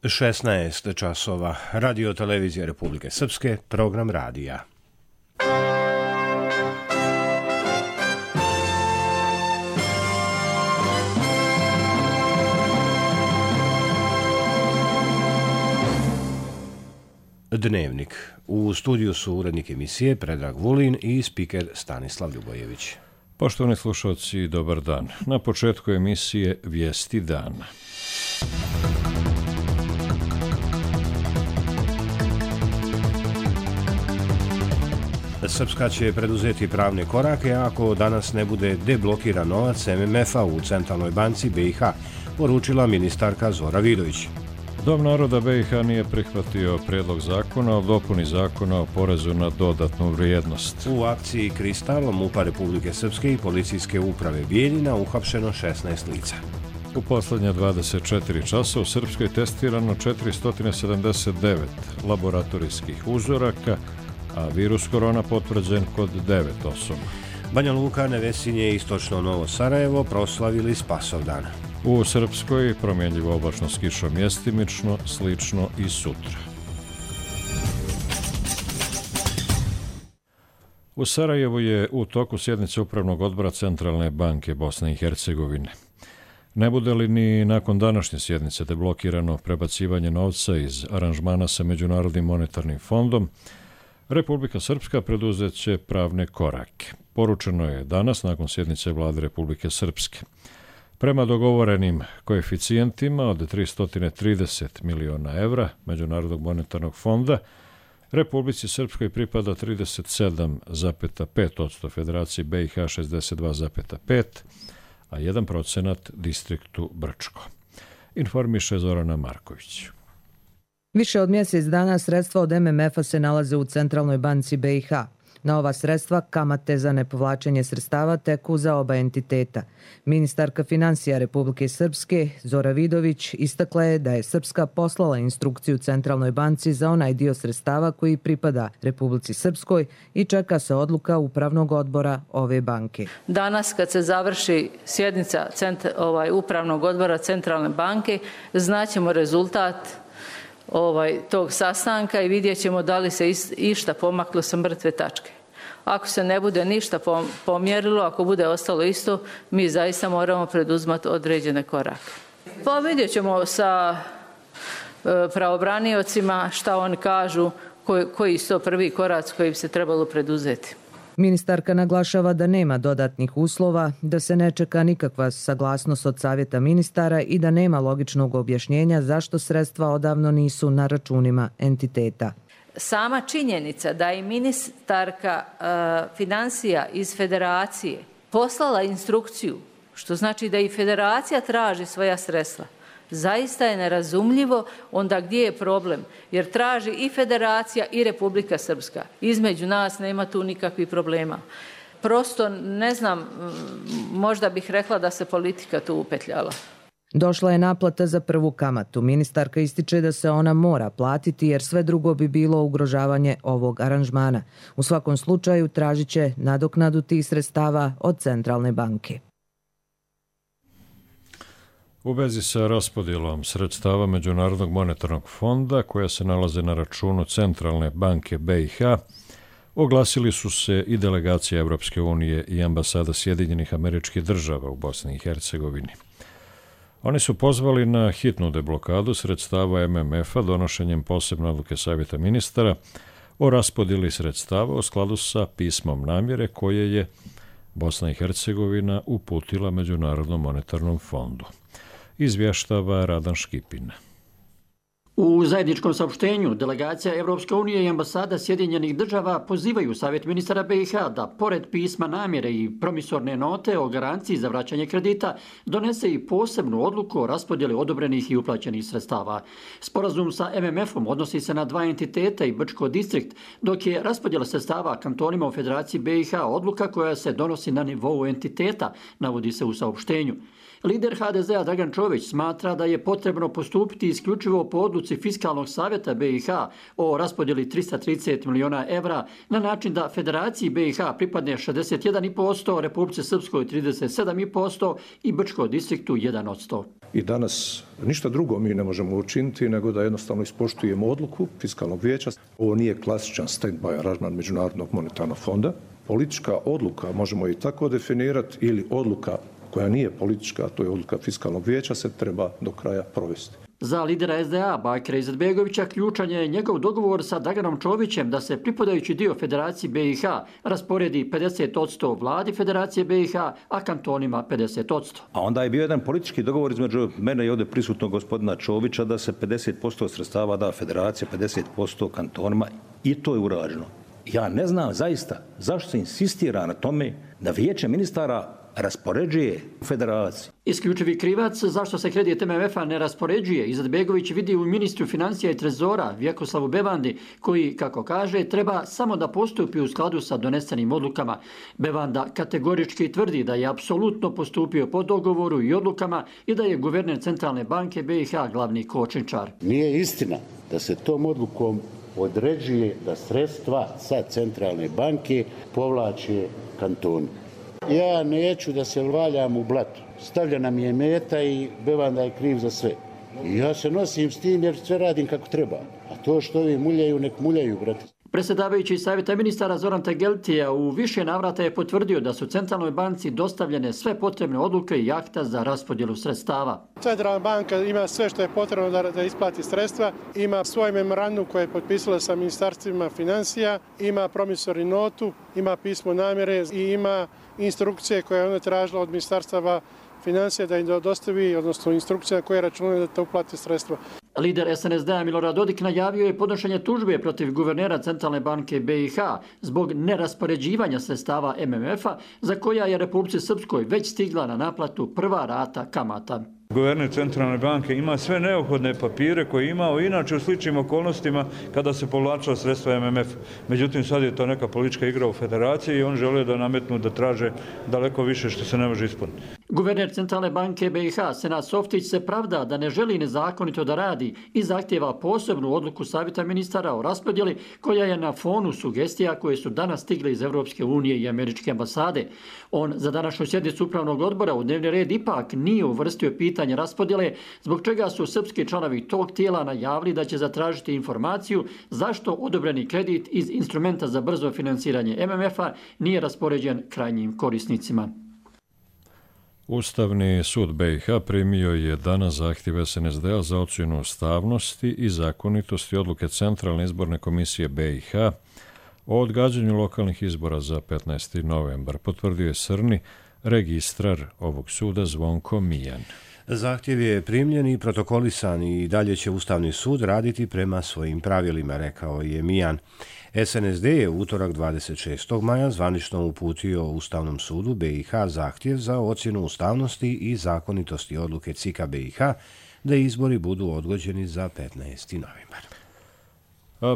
16 časova. Radio televizije Republike Srpske, program radija. Dnevnik. U studiju su urednik emisije Predrag Vulin i spiker Stanislav Ljubojević. Poštovani slušalci, dobar dan. Na početku emisije Vijesti dana. Srpska će preduzeti pravne korake ako danas ne bude deblokiran novac MMF-a u Centralnoj banci BiH, poručila ministarka Zora Vidović. Dom naroda BiH nije prihvatio prijedlog zakona o dopuni zakona o porezu na dodatnu vrijednost. U akciji Kristal MUP-a Republike Srpske i policijske uprave Bijeljina uhapšeno 16 lica. U posljednje 24 časa u Srpskoj testirano 479 laboratorijskih uzoraka, a virus korona potvrđen kod 9 osoba. Banja Luka, Nevesinje i istočno Novo Sarajevo proslavili Spasovdan. U Srpskoj promjenljivo oblačno s kišom mjestimično, slično i sutra. U Sarajevu je u toku sjednice Upravnog odbora Centralne banke Bosne i Hercegovine. Ne bude li ni nakon današnje sjednice deblokirano prebacivanje novca iz aranžmana sa Međunarodnim monetarnim fondom, Republika Srpska preduzet će pravne korake. Poručeno je danas nakon sjednice Vlade Republike Srpske. Prema dogovorenim koeficijentima od 330 miliona evra Međunarodnog monetarnog fonda, Republici Srpskoj pripada 37,5%, Federaciji BiH 62,5%, a 1% distriktu Brčko. Informiše Zorana Marković. Više od mjesec dana sredstva od MMF-a se nalaze u Centralnoj banci BiH. Na ova sredstva kamate za nepovlačenje sredstava teku za oba entiteta. Ministarka financija Republike Srpske Zora Vidović istakla je da je Srpska poslala instrukciju Centralnoj banci za onaj dio sredstava koji pripada Republici Srpskoj i čeka se odluka Upravnog odbora ove banke. Danas kad se završi sjednica Upravnog odbora Centralne banke, znaćemo rezultat tog sastanka i vidjet ćemo da li se išta pomaklo sa mrtve tačke. Ako se ne bude ništa pomjerilo, ako bude ostalo isto, mi zaista moramo preduzmati određene korake. Pa vidjet ćemo sa pravobraniocima šta oni kažu, koji su to prvi koraci koji bi se trebalo preduzeti. Ministarka naglašava da nema dodatnih uslova, da se ne čeka nikakva saglasnost od Savjeta ministara i da nema logičnog objašnjenja zašto sredstva odavno nisu na računima entiteta. Sama činjenica da je ministarka financija iz federacije poslala instrukciju, što znači da i federacija traži svoja sredstva, zaista je nerazumljivo onda gdje je problem, jer traži i federacija i Republika Srpska. Između nas nema tu nikakvih problema. Prosto ne znam, možda bih rekla da se politika tu upetljala. Došla je naplata za prvu kamatu. Ministarka ističe da se ona mora platiti jer sve drugo bi bilo ugrožavanje ovog aranžmana. U svakom slučaju tražit će nadoknadu tih sredstava od Centralne banke. U vezi sa raspodjelom sredstava Međunarodnog monetarnog fonda, koja se nalaze na računu Centralne banke BiH, oglasili su se i delegacija Evropske unije i ambasada Sjedinjenih Američkih Država u Bosni i Hercegovini. Oni su pozvali na hitnu deblokadu sredstava MMF-a donošenjem posebne odluke Savjeta ministara o raspodjeli sredstava u skladu sa pismom namjere koje je Bosna i Hercegovina uputila Međunarodnom monetarnom fondu. Izvještava Radan Škipin. U zajedničkom saopštenju delegacija Evropske unije i ambasada Sjedinjenih Država pozivaju Savjet ministara BiH da pored pisma namjere i promisorne note o garanciji za vraćanje kredita donese i posebnu odluku o raspodjeli odobrenih i uplaćenih sredstava. Sporazum sa MMF-om odnosi se na dva entiteta i Brčko distrikt, dok je raspodjela sredstava kantonima u Federaciji BiH odluka koja se donosi na nivou entiteta, navodi se u saopštenju. Lider HDZ-a Dragan Čović smatra da je potrebno postupiti isključivo po odluci odluci Fiskalnog savjeta BiH o raspodjeli 330 miliona evra na način da Federaciji BiH pripadne 61,5%, Republici Srpskoj 37,5% i Brčkoj distriktu 1%. I danas ništa drugo mi ne možemo učiniti nego da jednostavno ispoštujemo odluku Fiskalnog vijeća. Ovo nije klasičan stand-by aranžman Međunarodnog monetarnog fonda. Politička odluka, možemo i tako definirati, ili odluka koja nije politička, a to je odluka Fiskalnog vijeća, se treba do kraja provesti. Za lidera SDA Bakira Izetbegovića ključan je njegov dogovor sa Draganom Čovićem da se pripadajući dio Federaciji BiH rasporedi 50% vladi Federacije BiH, a kantonima 50%. A onda je bio jedan politički dogovor između mene i ovdje prisutnog gospodina Čovića da se 50% sredstava da Federacija, 50% kantonima, i to je urađeno. Ja ne znam zaista zašto se insistira na tome da Vijeće ministara raspoređuje Federaciji. Isključivi krivac zašto se kredit MMF-a ne raspoređuje Izetbegović vidi u ministru financija i trezora Vjekoslavu Bevandi, koji, kako kaže, treba samo da postupi u skladu sa donesenim odlukama. Bevanda kategorički tvrdi da je apsolutno postupio po dogovoru i odlukama i da je guverner Centralne banke BiH glavni kočničar. Nije istina da se tom odlukom određuje da sredstva sa Centralne banke povlače kantoni. Ja neću da se valjam u blatu. Stavljena mi je meta i Bevanda je kriv za sve. I ja se nosim s tim jer sve radim kako treba. A to što ovi muljaju, nek muljaju, brate. Predsjedavajući Savjeta ministara Zoran Tegeltija u više navrata je potvrdio da su Centralnoj banci dostavljene sve potrebne odluke i akta za raspodjelu sredstava. Centralna banka ima sve što je potrebno da isplati sredstva, ima svoj memorandum koje je potpisala sa ministarstvima financija, ima promisori notu, ima pismo namjere i ima instrukcije koje je ona tražila od ministarstava financija da im dostavi, odnosno instrukcija koje računaju da to uplati sredstva. Lider SNSD-a Milorad Dodik najavio je podnošenje tužbe protiv guvernera Centralne banke BiH zbog neraspoređivanja sredstava MMF-a za koja je Republici Srpskoj već stigla na naplatu prva rata kamata. Guverner Centralne banke ima sve neophodne papire koje je imao inače u sličnim okolnostima kada se povlačila sredstva MMF. Međutim, sad je to neka politička igra u Federaciji i on žele da nametnu da traže daleko više što se ne može ispuniti. Guverner Centralne banke BiH Senad Softić se pravda da ne želi nezakonito da radi i zahtjeva posebnu odluku Savjeta ministara o raspodjeli koja je na fonu sugestija koje su danas stigle iz Europske unije i Američke ambasade. On za današnju sjednicu upravnog odbora u dnevni red ipak nije uvrstio pitanje raspodjele, zbog čega su srpski članovi tog tijela najavili da će zatražiti informaciju zašto odobreni kredit iz instrumenta za brzo financiranje MMF-a nije raspoređen krajnjim korisnicima. Ustavni sud BiH primio je danas zahtjev SNSD-a za ocjenu ustavnosti i zakonitosti odluke Centralne izborne komisije BiH o odgađanju lokalnih izbora za 15. novembar, potvrdio je Srni, registrar ovog suda Zvonko Mijan. Zahtjev je primljen i protokolisan i dalje će Ustavni sud raditi prema svojim pravilima, rekao je Mijan. SNSD je utorak 26. maja zvanično uputio Ustavnom sudu BiH zahtjev za ocjenu ustavnosti i zakonitosti odluke CIK-a BiH da izbori budu odgođeni za 15. novembar.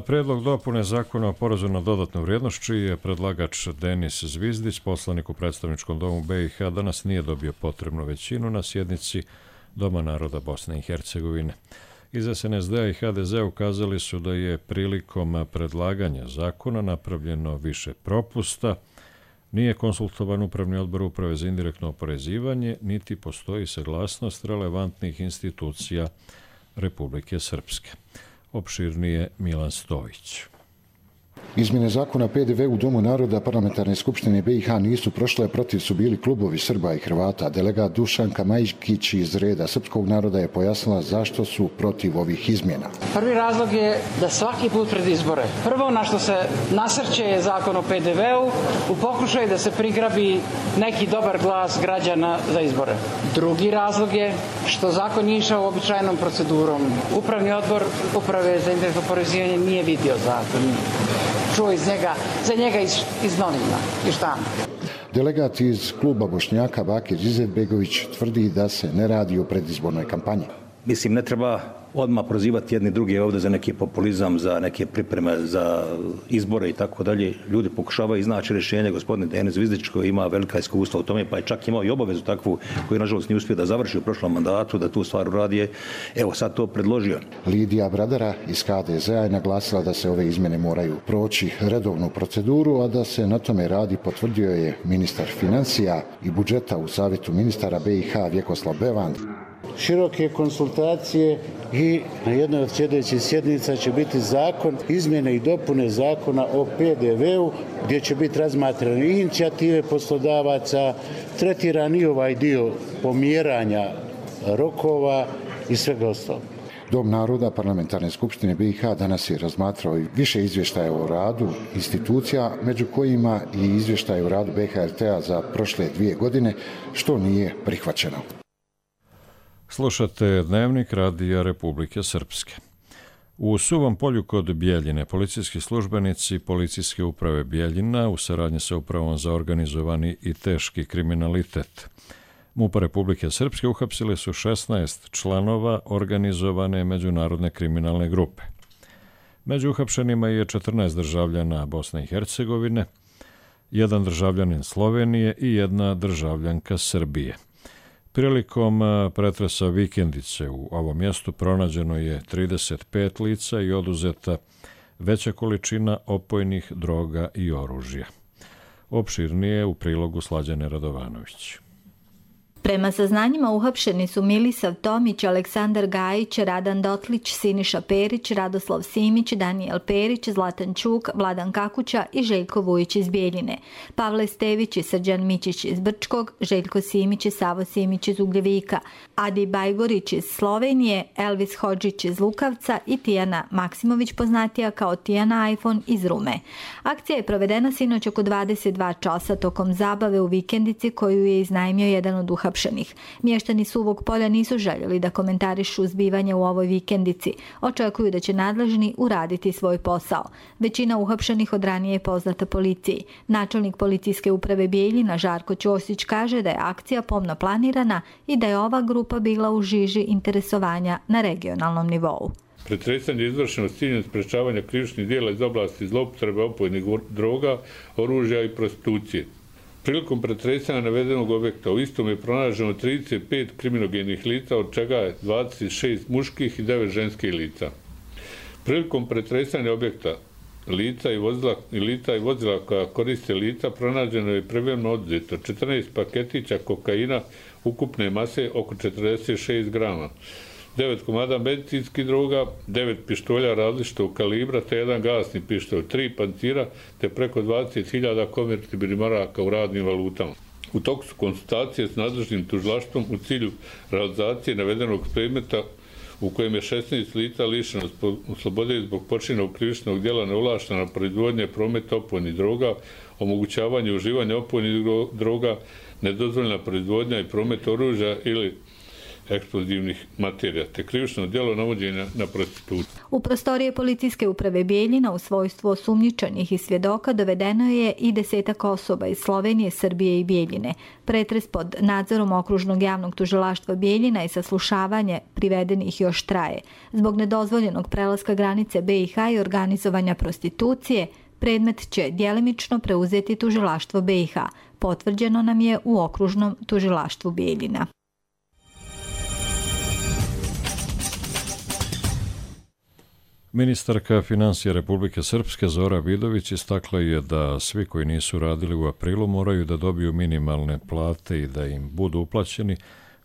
Prijedlog dopune zakona o porezu na dodatnu vrijednost, čiji je predlagač Denis Zvizdić, poslanik u predstavničkom domu BiH, danas nije dobio potrebnu većinu na sjednici Doma naroda Bosne i Hercegovine. Iz SNSD-a i HDZ ukazali su da je prilikom predlaganja zakona napravljeno više propusta, nije konsultovan Upravni odbor Uprave za indirektno oporezivanje, niti postoji saglasnost relevantnih institucija Republike Srpske. Opširnije Milan Stojić. Izmjene zakona PDV u Domu naroda Parlamentarne skupštine BiH nisu prošle, protiv su bili klubovi Srba i Hrvata. Delegat Dušanka Majkić iz reda srpskog naroda je pojasnila zašto su protiv ovih izmjena. Prvi razlog je da svaki put pred izbore prvo na što se nasrće je zakon o PDV-u u pokušaju da se prigrabi neki dobar glas građana za izbore. Drugi razlog je što zakon nije išao uobičajenom procedurom. Upravni odbor Uprave za indirektno oporezivanje nije vidio zakon. Čuo za njega iz novina i štampe. Delegat iz kluba Bošnjaka Bakir Izetbegović tvrdi da se ne radi o predizbornoj kampanji. Mislim, ne treba odmah prozivati jedni druge ovdje za neki populizam, za neke pripreme za izbore i tako dalje. Ljudi pokušavaju iznaći rješenje. Gospodin Denis Zvizdić koji ima velika iskustva u tome, pa je čak imao i obavezu takvu koju nažalost nije uspio da završi u prošlom mandatu, da tu stvar uradi. Evo sad to predložio. Lidija Bradara iz HDZ-a je naglasila da se ove izmjene moraju proći redovnu proceduru, a da se na tome radi, potvrdio je ministar financija i budžeta u Savjetu ministara BiH Vjekoslav Bevand. Široke konsultacije i na jednoj od sljedećih sjednica će biti zakon, izmjene i dopune zakona o PDV-u, gdje će biti razmatrane i inicijative poslodavaca, tretiran i ovaj dio pomjeranja rokova i svega ostalog. Dom naroda Parlamentarne skupštine BiH danas je razmatrao i više izvještaja o radu institucija, među kojima i izvještaj o radu BHRT-a za prošle 2 godine, što nije prihvaćeno. Slušate Dnevnik Radija Republike Srpske. U Suvom polju kod Bijeljine policijski službenici Policijske uprave Bijeljina u saradnji sa Upravom za organizovani i teški kriminalitet MUP Republike Srpske uhapsili su 16 članova organizovane međunarodne kriminalne grupe. Među uhapšenima je 14 državljana Bosne i Hercegovine, 1 državljanin Slovenije i 1 državljanka Srbije. Prilikom pretresa vikendice u ovom mjestu pronađeno je 35 lica i oduzeta veća količina opojnih droga i oružja. Opširnije u prilogu Slađane Radovanović. Prema saznanjima uhapšeni su Milisav Tomić, Aleksandar Gajić, Radan Dotlić, Siniša Perić, Radoslav Simić, Danijel Perić, Zlatan Čuk, Vladan Kakuća i Željko Vujić iz Bijeljine, Pavle Stević i Srđan Mićić iz Brčkog, Željko Simić i Savo Simić iz Ugljevika, Adi Bajgorić iz Slovenije, Elvis Hodžić iz Lukavca i Tijana Maksimović, poznatija kao Tijana iPhone iz Rume. Akcija je provedena sinoć oko 22 časa tokom zabave u vikendici koju je iznajmio jedan od uhapšenih. Mještani Suvog polja nisu željeli da komentarišu zbivanje u ovoj vikendici. Očekuju da će nadležni uraditi svoj posao. Većina uhapšenih od ranije je poznata policiji. Načelnik Policijske uprave Bijeljina Žarko Ćosić kaže da je akcija pomno planirana i da je ova grupa bila u žiži interesovanja na regionalnom nivou. Pretresanje je izvršeno s ciljem sprečavanja krivičnih djela iz oblasti zloupotrebe opojnih droga, oružja i prostitucije. Prilikom pretresanja navedenog objekta u istom je pronađeno 35 kriminogenih lica, od čega je 26 muških i 9 ženskih lica. Prilikom pretresanja objekta lica i vozila koja koriste lica pronađeno je privremeno odzeto 14 paketića kokaina ukupne mase oko 46 grama, 9 komada medicinskih droga, 9 pištolja različitog kalibra te 1 gasni pištolj, 3 pancira te preko 20.000 konvertibilnih maraka u radnim valutama. U toku su konsultacije s nadležnim tužilaštvom u cilju realizacije navedenog predmeta u kojem je 16 lica lišeno slobode zbog počinjenog krivičnog djela neovlaštena proizvodnja i promet opojnih droga, omogućavanje uživanja opojnih droga, nedozvoljena proizvodnja i promet oružja ili eksplozivnih materija, te krivično djelo navođenja na prostituciju. U prostorije Policijske uprave Bijeljina u svojstvu osumnjičenih i svjedoka dovedeno je i 10 osoba iz Slovenije, Srbije i Bijeljine. Pretres pod nadzorom Okružnog javnog tužilaštva Bijeljina i saslušavanje privedenih još traje. Zbog nedozvoljenog prelaska granice BiH i organizovanja prostitucije, predmet će djelimično preuzeti tužilaštvo BiH. Potvrđeno nam je u Okružnom tužilaštvu Bijeljina. Ministarka financija Republike Srpske Zora Vidović istakla je da svi koji nisu radili u aprilu moraju da dobiju minimalne plate i da im budu uplaćeni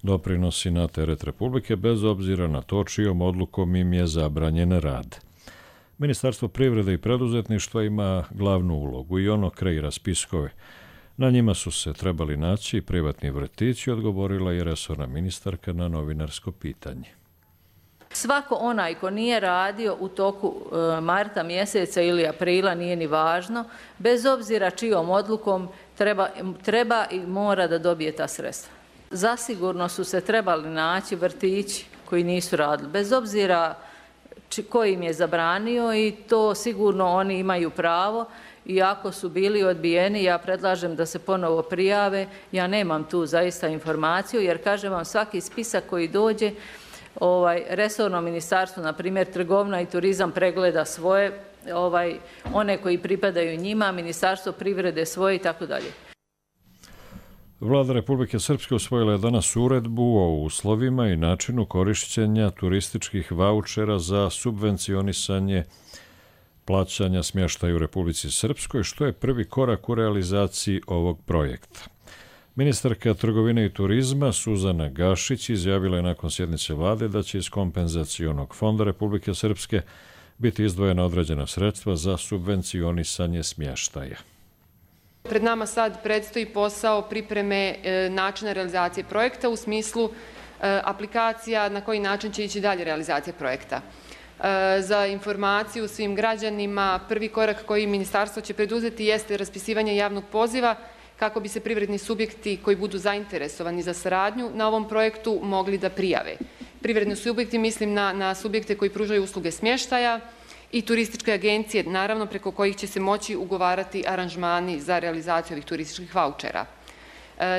doprinosi na teret Republike bez obzira na to čijom odlukom im je zabranjen rad. Ministarstvo privrede i preduzetništva ima glavnu ulogu i ono kreira spiskove. Na njima su se trebali naći privatni vrtići, odgovorila je resorna ministarka na novinarsko pitanje. Svako onaj ko nije radio u toku marta mjeseca ili aprila, nije ni važno, bez obzira čijom odlukom treba i mora da dobije ta sredstva. Zasigurno su se trebali naći vrtići koji nisu radili, bez obzira ko im je zabranio i to sigurno oni imaju pravo. I ako su bili odbijeni, ja predlažem da se ponovo prijave. Ja nemam tu zaista informaciju jer kažem vam svaki spisak koji dođe resorno ministarstvo, na primjer trgovina i turizam, pregleda svoje, one koji pripadaju njima, Ministarstvo privrede svoje i tako dalje. Vlada Republike Srpske usvojila je danas uredbu o uslovima i načinu korišćenja turističkih vaučera za subvencionisanje plaćanja smještaja u Republici Srpskoj, što je prvi korak u realizaciji ovog projekta. Ministarka trgovine i turizma Suzana Gašić izjavila je nakon sjednice vlade da će iz kompenzacionog fonda Republike Srpske biti izdvojena određena sredstva za subvencionisanje smještaja. Pred nama sad predstoji posao pripreme načina realizacije projekta u smislu aplikacija na koji način će ići dalje realizacija projekta. Za informaciju svim građanima, prvi korak koji ministarstvo će preduzeti jeste raspisivanje javnog poziva kako bi se privredni subjekti koji budu zainteresovani za saradnju na ovom projektu mogli da prijave. Privredni subjekti mislim na subjekte koji pružaju usluge smještaja i turističke agencije, naravno preko kojih će se moći ugovarati aranžmani za realizaciju ovih turističkih vaučera.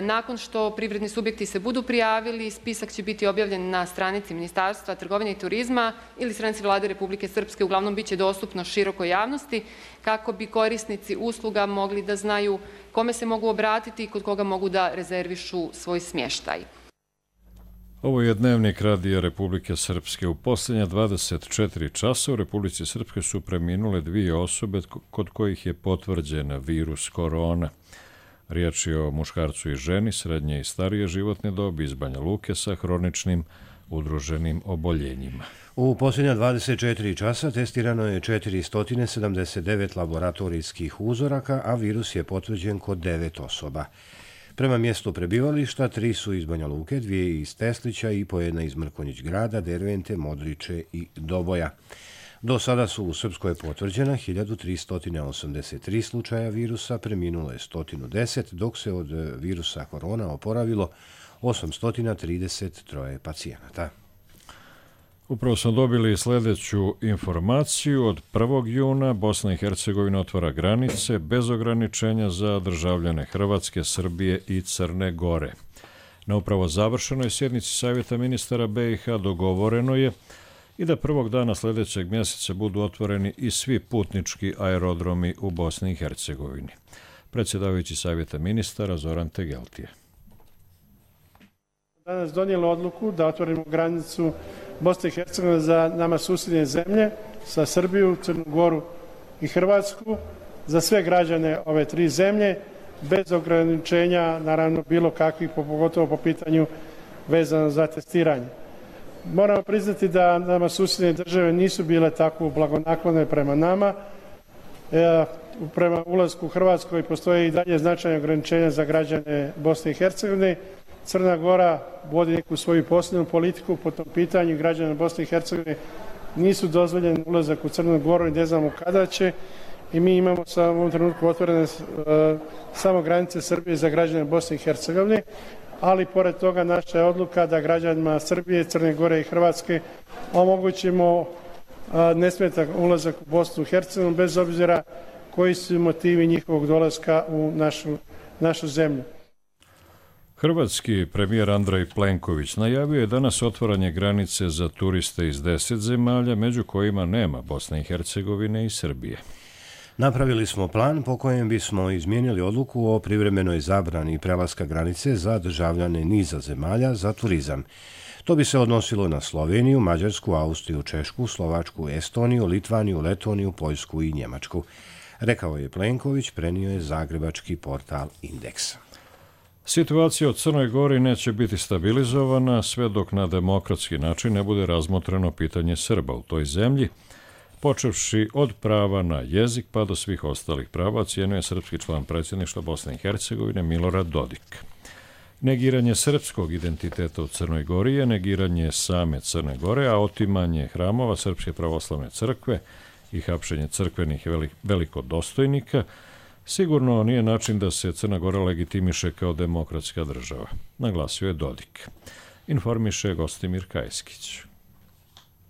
Nakon što privredni subjekti se budu prijavili, spisak će biti objavljen na stranici Ministarstva trgovine i turizma ili stranici Vlade Republike Srpske, uglavnom bit će dostupno širokoj javnosti, kako bi korisnici usluga mogli da znaju kome se mogu obratiti i kod koga mogu da rezervišu svoj smještaj. Ovo je Dnevnik Radija Republike Srpske. U posljednja 24 časa u Republici Srpske su preminule 2 osobe kod kojih je potvrđen virus korona. Riječ je o muškarcu i ženi srednje i starije životne dobi iz Banja Luke sa hroničnim udruženim oboljenjima. U posljednja 24 časa testirano je 479 laboratorijskih uzoraka, a virus je potvrđen kod 9 osoba. Prema mjestu prebivališta 3 su iz Banja Luke, 2 iz Teslića i po 1 iz Mrkonjić grada, Dervente, Modriče i Doboja. Do sada su u Srpskoj potvrđena 1383 slučaja virusa, preminulo je 110, dok se od virusa korona oporavilo 833 pacijenata. Upravo smo dobili sljedeću informaciju. Od 1. juna Bosna i Hercegovina otvara granice bez ograničenja za državljane Hrvatske, Srbije i Crne Gore. Na upravo završenoj sjednici Savjeta ministara BiH dogovoreno je i da prvog dana sljedećeg mjeseca budu otvoreni i svi putnički aerodromi u Bosni i Hercegovini. Predsjedavajući Savjeta ministara Zoran Tegeltije. Danas donijelo odluku da otvorimo granicu Bosne i Hercegovine za nama susjedne zemlje, sa Srbiju, Crnu Goru i Hrvatsku, za sve građane ove 3 zemlje, bez ograničenja, naravno bilo kakvih, pogotovo po pitanju vezano za testiranje. Moramo priznati da nama susjedne države nisu bile tako blagonaklone prema nama. Prema ulasku u Hrvatskoj postoje i dalje značajne ograničenja za građane Bosne i Hercegovine. Crna Gora vodi neku svoju posebnu politiku po tom pitanju. Građana Bosne i Hercegovine nisu dozvoljen ulazak u Crnu Goru i ne znamo kada će. I mi imamo u ovom trenutku otvorene samo granice Srbije za građane Bosne i Hercegovine. Ali pored toga naša je odluka da građanima Srbije, Crne Gore i Hrvatske omogućimo nesmetan ulazak u Bosnu i Hercegovinu bez obzira koji su motivi njihovog dolaska u našu zemlju. Hrvatski premijer Andrej Plenković najavio je danas otvaranje granice za turiste iz 10 zemalja, među kojima nema Bosne i Hercegovine i Srbije. Napravili smo plan po kojem bismo izmijenili odluku o privremenoj zabrani prelaska granice za državljane niza zemalja za turizam. To bi se odnosilo na Sloveniju, Mađarsku, Austriju, Češku, Slovačku, Estoniju, Litvaniju, Letoniju, Poljsku i Njemačku. Rekao je Plenković, prenio je zagrebački portal Indeks. Situacija u Crnoj Gori neće biti stabilizovana sve dok na demokratski način ne bude razmotreno pitanje Srba u toj zemlji, počevši od prava na jezik pa do svih ostalih prava, ocijenio je srpski član predsjedništva Bosne i Hercegovine Milorad Dodik. Negiranje srpskog identiteta u Crnoj Gori je negiranje same Crne Gore, a otimanje hramova Srpske pravoslavne crkve i hapšenje crkvenih velikodostojnika sigurno nije način da se Crna Gora legitimiše kao demokratska država, naglasio je Dodik. Informiše Gostimir Kajskić.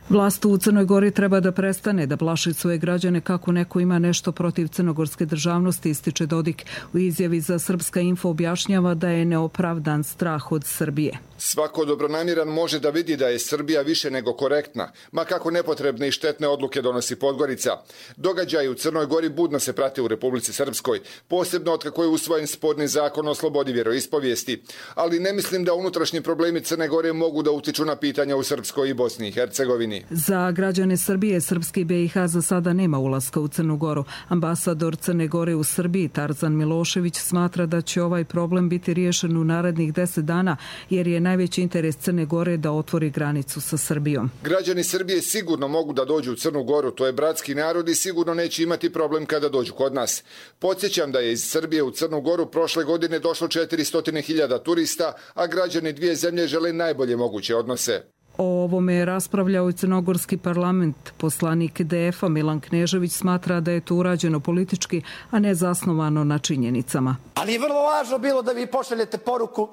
Vlast u Crnoj Gori treba da prestane da plaši svoje građane kako neko ima nešto protiv crnogorske državnosti, ističe Dodik. U izjavi za Srpska info objašnjava da je neopravdan strah od Srbije. Svako dobronamjeran može da vidi da je Srbija više nego korektna, ma kako nepotrebne i štetne odluke donosi Podgorica. Događaji u Crnoj Gori budno se prate u Republici Srpskoj, posebno otkako je usvojen sporni zakon o slobodi vjeroispovijesti. Ali ne mislim da unutrašnji problemi Crne Gore mogu da utiču na pitanja u Srpskoj i Bosni i Hercegovini. Za građane Srbije, Srpski BiH za sada nema ulaska u Crnu Goru. Ambasador Crne Gore u Srbiji, Tarzan Milošević, smatra da će ovaj problem biti riješen u narednih 10 dana, jer je najveći interes Crne Gore da otvori granicu sa Srbijom. Građani Srbije sigurno mogu da dođu u Crnu Goru, to je bratski narod i sigurno neće imati problem kada dođu kod nas. Podsjećam da je iz Srbije u Crnu Goru prošle godine došlo 400.000 turista, a građani dvije zemlje žele najbolje moguće odnose. O ovome je raspravljao i crnogorski parlament. Poslanik DF-a Milan Knežević smatra da je to urađeno politički, a ne zasnovano na činjenicama. Ali je vrlo važno bilo da vi pošaljete poruku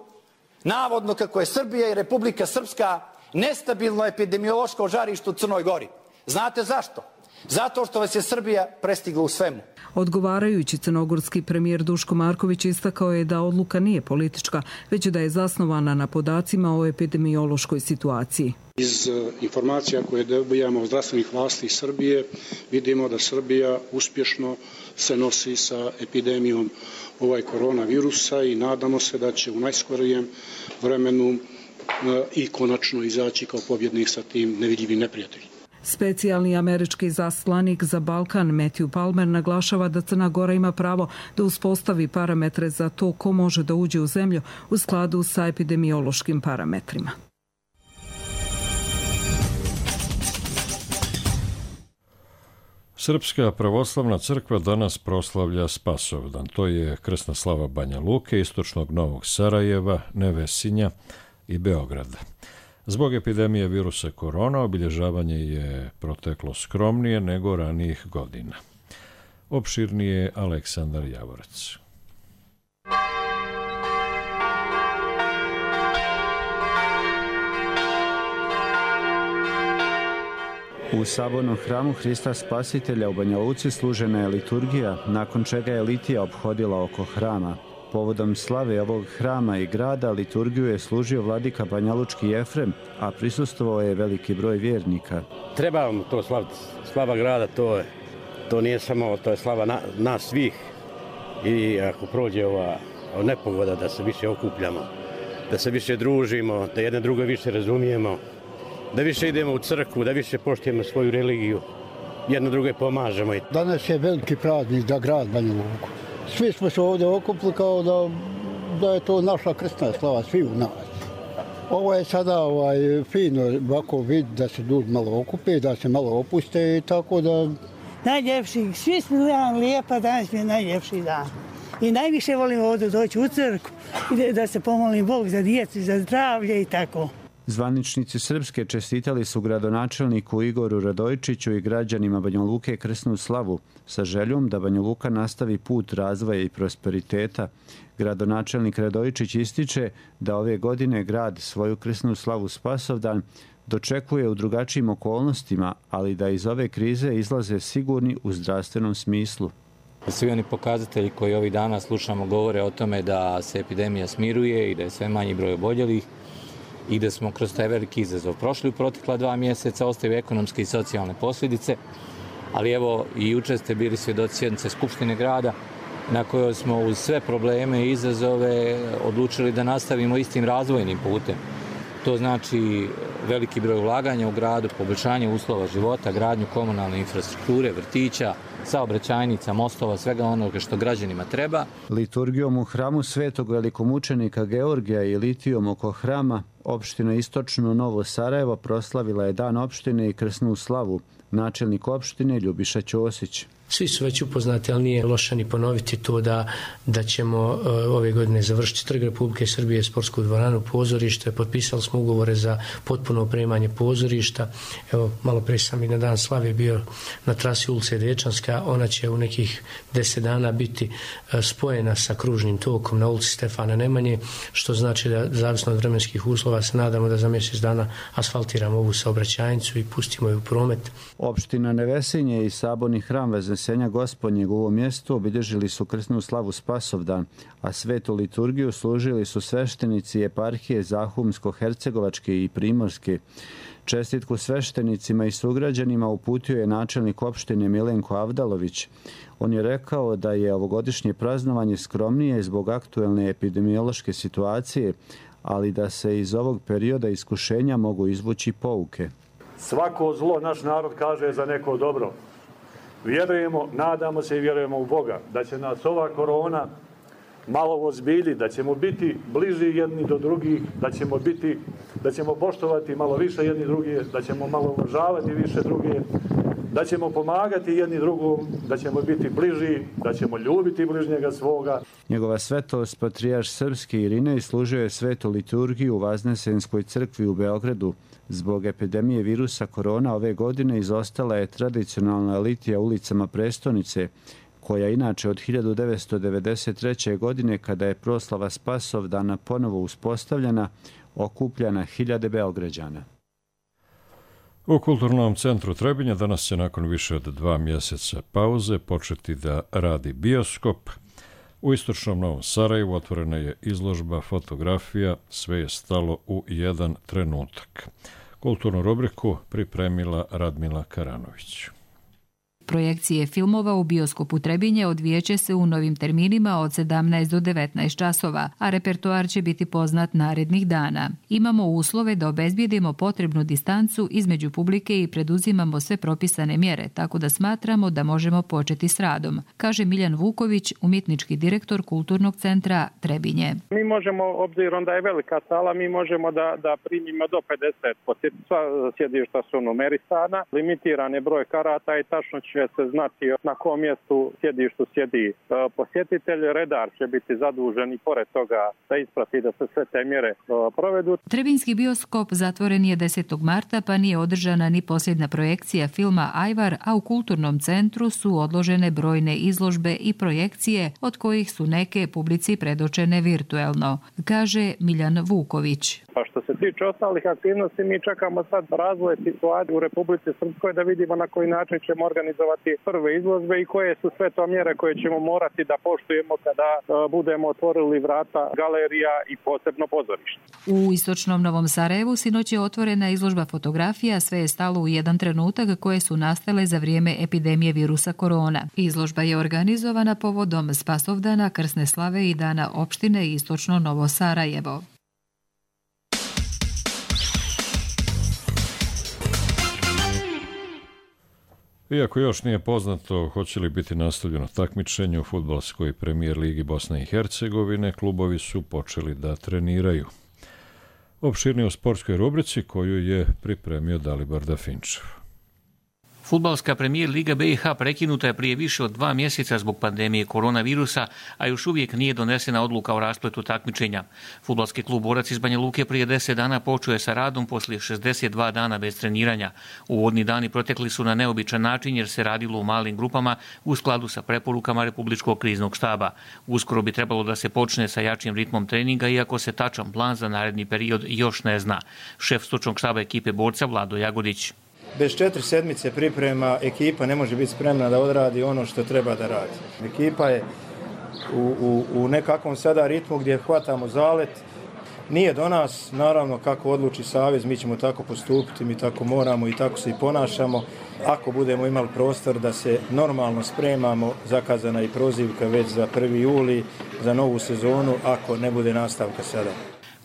navodno kako je Srbija i Republika Srpska nestabilno epidemiološko žarište u Crnoj Gori. Znate zašto? Zato što vas je Srbija prestigla u svemu. Odgovarajući, crnogorski premijer Duško Marković istakao je da odluka nije politička, već da je zasnovana na podacima o epidemiološkoj situaciji. Iz informacija koje dobijamo od zdravstvenih vlasti Srbije vidimo da Srbija uspješno se nosi sa epidemijom koronavirusa i nadamo se da će u najskorijem vremenu i konačno izaći kao pobjednik sa tim nevidljivim neprijateljem. Specijalni američki zaslanik za Balkan Matthew Palmer naglašava da Crna Gora ima pravo da uspostavi parametre za to ko može da uđe u zemlju u skladu sa epidemiološkim parametrima. Srpska pravoslavna crkva danas proslavlja Spasovdan. To je krsna slava Banja Luke, istočnog Novog Sarajeva, Nevesinja i Beograda. Zbog epidemije virusa korona obilježavanje je proteklo skromnije nego ranijih godina. Opširnije Aleksandar Javorac. U sabornom hramu Hrista Spasitelja u Banja Luci služena je liturgija, nakon čega je litija ophodila oko hrama. Povodom slave ovog hrama i grada liturgiju je služio vladika banjalučki Jefrem, a prisustvovao je veliki broj vjernika. Trebamo to slaviti. Slava grada, to nije samo, to je slava nas svih. I ako prođe ova nepogoda da se više okupljamo, da se više družimo, da jedne druge više razumijemo, da više idemo u crkvu, da više poštujemo svoju religiju, jedno druge pomažemo. Danas je veliki praznik za grad Banja Luku. Svi smo se ovdje okupili kao da je to naša krstna slava, svi u nas. Ovo je sada fino ovako vid da se ljudi malo okupe, da se malo opuste i tako da... Najljepši, svi smo dan lijepa, danas mi je najljepši dan. I najviše volim ovdje doći u crkvu i da se pomolim Bog za djecu, za zdravlje i tako. Zvaničnici Srpske čestitali su gradonačelniku Igoru Radojčiću i građanima Banja Luke krsnu slavu sa željom da Banja Luka nastavi put razvoja i prosperiteta. Gradonačelnik Radojčić ističe da ove godine grad svoju krsnu slavu Spasovdan dočekuje u drugačijim okolnostima, ali da iz ove krize izlaze sigurni u zdravstvenom smislu. Svi oni pokazatelji koji ovih dana slušamo govore o tome da se epidemija smiruje i da je sve manji broj oboljelih i da smo kroz taj veliki izazov prošli u protekla 2 mjeseca, ostaju ekonomske i socijalne posljedice, ali evo i jučer ste bili svjedoci sjednice Skupštine grada na kojoj smo uz sve probleme i izazove odlučili da nastavimo istim razvojnim putem. To znači veliki broj ulaganja u gradu, poboljšanje uslova života, gradnju komunalne infrastrukture, vrtića, saobraćajnica, mostova, svega onoga što građanima treba. Liturgijom u hramu Svetog velikomučenika Georgija i litijom oko hrama opština Istočno Novo Sarajevo proslavila je dan opštine i krsnu slavu. Načelnik opštine Ljubiša Ćosić. Svi su već upoznati, ali nije loše ni ponoviti to da ćemo ove godine završiti Trg Republike Srbije, sportsku dvoranu, pozorište. Potpisali smo ugovore za potpuno opremanje pozorišta. Evo, malo prije sam i na dan slave bio na trasi ulice Dečanska. Ona će u nekih 10 dana biti spojena sa kružnim tokom na ulici Stefana Nemanje, što znači da zavisno od vremenskih uslova se nadamo da za mjesec dana asfaltiramo ovu saobraćajnicu i pustimo je u promet. Opština Nevesinje i saborni hram Vezne Vaskrsenja Gospodnjeg u ovom mjestu obilježili su krsnu slavu Spasovdan, a svetu liturgiju služili su sveštenici eparhije Zahumsko-hercegovačke i Primorske. Čestitku sveštenicima i sugrađanima uputio je načelnik opštine Milenko Avdalović. On je rekao da je ovogodišnje praznovanje skromnije zbog aktuelne epidemiološke situacije, ali da se iz ovog perioda iskušenja mogu izvući pouke. Svako zlo naš narod kaže za neko dobro. Vjerujemo, nadamo se i vjerujemo u Boga da će nas ova korona malo ozbiljiti, da ćemo biti bliži jedni do drugih, da ćemo poštovati malo više jedni drugi, da ćemo malo uvažavati više druge, da ćemo pomagati jedni drugom, da ćemo biti bliži, da ćemo ljubiti bližnjega svoga. Njegova svetost patrijarh srpski Irinej služio je svetu liturgiju u Vaznesenskoj crkvi u Beogradu. Zbog epidemije virusa korona ove godine izostala je tradicionalna litija ulicama prestonice, koja inače od 1993. godine, kada je proslava Spasovdana ponovo uspostavljena, okupljana hiljade Beograđana. U Kulturnom centru Trebinje danas će nakon više od 2 mjeseca pauze početi da radi bioskop. U istočnom Novom Sarajevu otvorena je izložba fotografija Sve je stalo u jedan trenutak. Kulturnu rubriku pripremila Radmila Karanović. Projekcije filmova u bioskopu Trebinje odvijeće se u novim terminima od 17 do 19 časova, a repertoar će biti poznat narednih dana. Imamo uslove da obezbijedimo potrebnu distancu između publike i preduzimamo sve propisane mjere, tako da smatramo da možemo početi s radom, kaže Miljan Vuković, umjetnički direktor Kulturnog centra Trebinje. Mi možemo, obzirom da je velika sala, mi možemo da primimo do 50 posjetitelja. Sjedišta su numerisana, limitiran je broj karata i tačno će se znati na kom mjestu sjedištu sjedi posjetitelj. Redar će biti zadužen i pored toga da isprati da se sve te mjere provedu. Trebinski bioskop zatvoren je 10. marta, pa nije održana ni posljedna projekcija filma Ajvar, a u Kulturnom centru su odložene brojne izložbe i projekcije, od kojih su neke publici predočene virtuelno, kaže Miljan Vuković. Pa što se tiče ostalih aktivnosti, mi čekamo sad razvoj situacije u Republici Srpskoj da vidimo na koji način ćemo organizovati prve izložbe i koje su sve to mjere koje ćemo morati da poštujemo kada budemo otvorili vrata galerija i posebno pozorište. U istočnom Novom Sarajevu sinoć je otvorena izložba fotografija Sve je stalo u jedan trenutak, koje su nastale za vrijeme epidemije virusa korona. Izložba je organizovana povodom Spasovdana, krsne slave i dana opštine Istočno Novo Sarajevo. Iako još nije poznato hoće li biti nastavljeno takmičenje u fudbalskoj premijer ligi Bosne i Hercegovine, klubovi su počeli da treniraju. Opširnije u sportskoj rubrici koju je pripremio Dalibor Dafinčev. Fudbalska premijer Liga BiH prekinuta je prije više od 2 mjeseca zbog pandemije koronavirusa, a još uvijek nije donesena odluka o raspletu takmičenja. Fudbalski klub Borac iz Banja Luke prije 10 dana počeo je sa radom poslije 62 dana bez treniranja. Uvodni dani protekli su na neobičan način jer se radilo u malim grupama u skladu sa preporukama Republičkog kriznog štaba. Uskoro bi trebalo da se počne sa jačim ritmom treninga, iako se tačan plan za naredni period još ne zna. Šef stručnog štaba ekipe Borca Vlado Jagodić. Bez 4 sedmice priprema ekipa ne može biti spremna da odradi ono što treba da radi. Ekipa je u nekakvom sada ritmu gdje hvatamo zalet. Nije do nas, naravno kako odluči savez, mi ćemo tako postupiti, mi tako moramo i tako se i ponašamo. Ako budemo imali prostor da se normalno spremamo, zakazana i prozivka već za 1. juli, za novu sezonu, ako ne bude nastavka sada.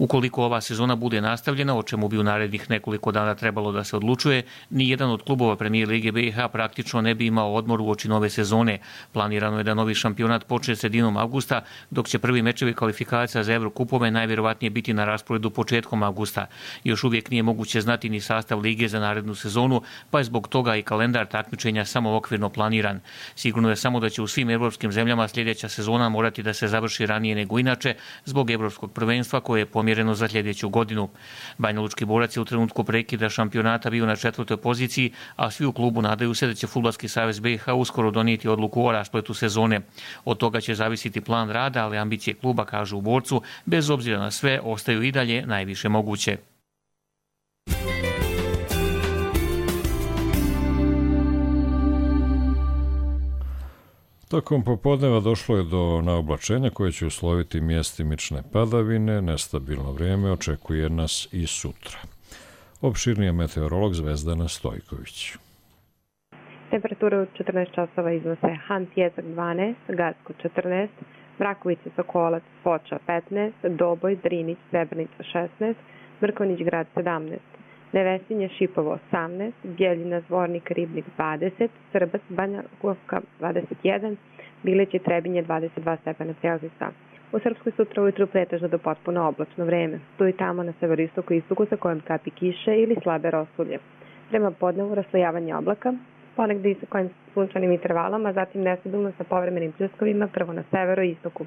Ukoliko ova sezona bude nastavljena, o čemu bi u narednih nekoliko dana trebalo da se odlučuje, nijedan od klubova Premijer Lige BiH praktično ne bi imao odmor uoči nove sezone. Planirano je da novi šampionat počne sredinom avgusta, dok će prvi mečevi kvalifikacija za Evrokupove najvjerovatnije biti na rasporedu početkom avgusta. Još uvijek nije moguće znati ni sastav lige za narednu sezonu, pa je zbog toga i kalendar takmičenja samo okvirno planiran. Sigurno je samo da će u svim evropskim zemljama sljedeća sezona morati da se završi ranije nego inače, zbog evropskog prvenstva koje je pomjereno za sljedeću godinu. Banjalučki Borac je u trenutku prekida šampionata bio na 4. poziciji, a svi u klubu nadaju se da će Fudbalski savez BiH uskoro donijeti odluku o raspletu sezone. Od toga će zavisiti plan rada, ali ambicije kluba, kažu u Borcu, bez obzira na sve, ostaju i dalje najviše moguće. Tokom popodneva došlo je do naoblačenja koje će usloviti mjestimične padavine, nestabilno vrijeme očekuje nas i sutra. Opširnije meteorolog Zvezdana Stojković. Temperature u 14 časova iznose Hantjezak 12, Gacko 14, Brakovica, Sokolac, Foča 15, Doboj, Drinić, Srebrenica 16, Mrkonjić Grad 17, Nevesinje, Šipovo 18, Bjeljina, Zvornik, Ribnik 20, Srbac, Banja Luka 21, Bilić i Trebinje 22 stepena Celzijusa. U Srpskoj sutra ujutru pretežno do potpuno oblačno vreme. Tu i tamo na severoistoku i istoku sa kojom kapi kiše ili slabe rosulje. Prema podnevu raslojavanje oblaka, ponegdje i sa kojim sunčanim intervalama, zatim nestabilno sa povremenim pljuskovima prvo na severu i istoku,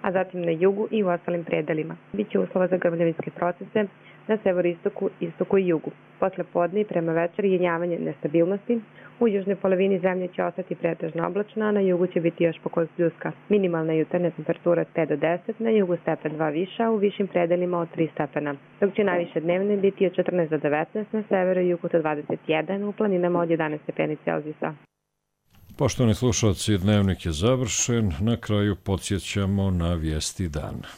a zatim na jugu i u ostalim predelima. Biće uslova za grmljavinske procese na severoistoku, istoku i jugu. Posle podne i prema večeri jenjavanje nestabilnosti. U južnoj polovini zemlje će ostati pretežno oblačno, a na jugu će biti još pokoj pljuska. Minimalna jutarnja temperatura od 5 do 10, na jugu stepen 2 viša, u višim predelima od 3 stepena. Dok će najviše dnevne biti od 14 do 19, na severu i jugu do 21, u planinama od 11 stepeni Celzijusa. Poštovani slušalci, dnevnik je završen. Na kraju podsjećamo na vijesti dana.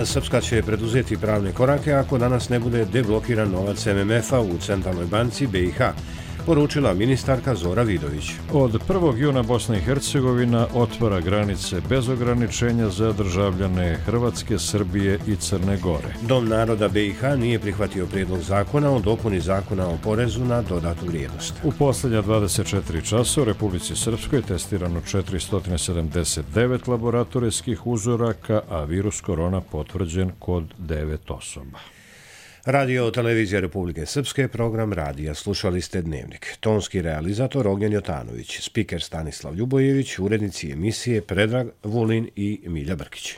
Srpska će preduzeti pravne korake ako danas ne bude deblokiran novac MMF-a u Centralnoj banci BiH, poručila ministarka Zora Vidović. Od 1. juna Bosna i Hercegovina otvara granice bez ograničenja za državljane Hrvatske, Srbije i Crne Gore. Dom naroda BiH nije prihvatio prijedlog zakona o dopuni zakona o porezu na dodatu vrijednost. U posljednja 24 časa u Republici Srpskoj testirano 479 laboratorijskih uzoraka, a virus korona potvrđen kod 9 osoba. Radio televizija Republike Srpske, program radija. Slušali ste Dnevnik. Tonski realizator Ognjen Jotanović, spiker Stanislav Ljubojević, urednici emisije Predrag Vulin i Milja Brkić.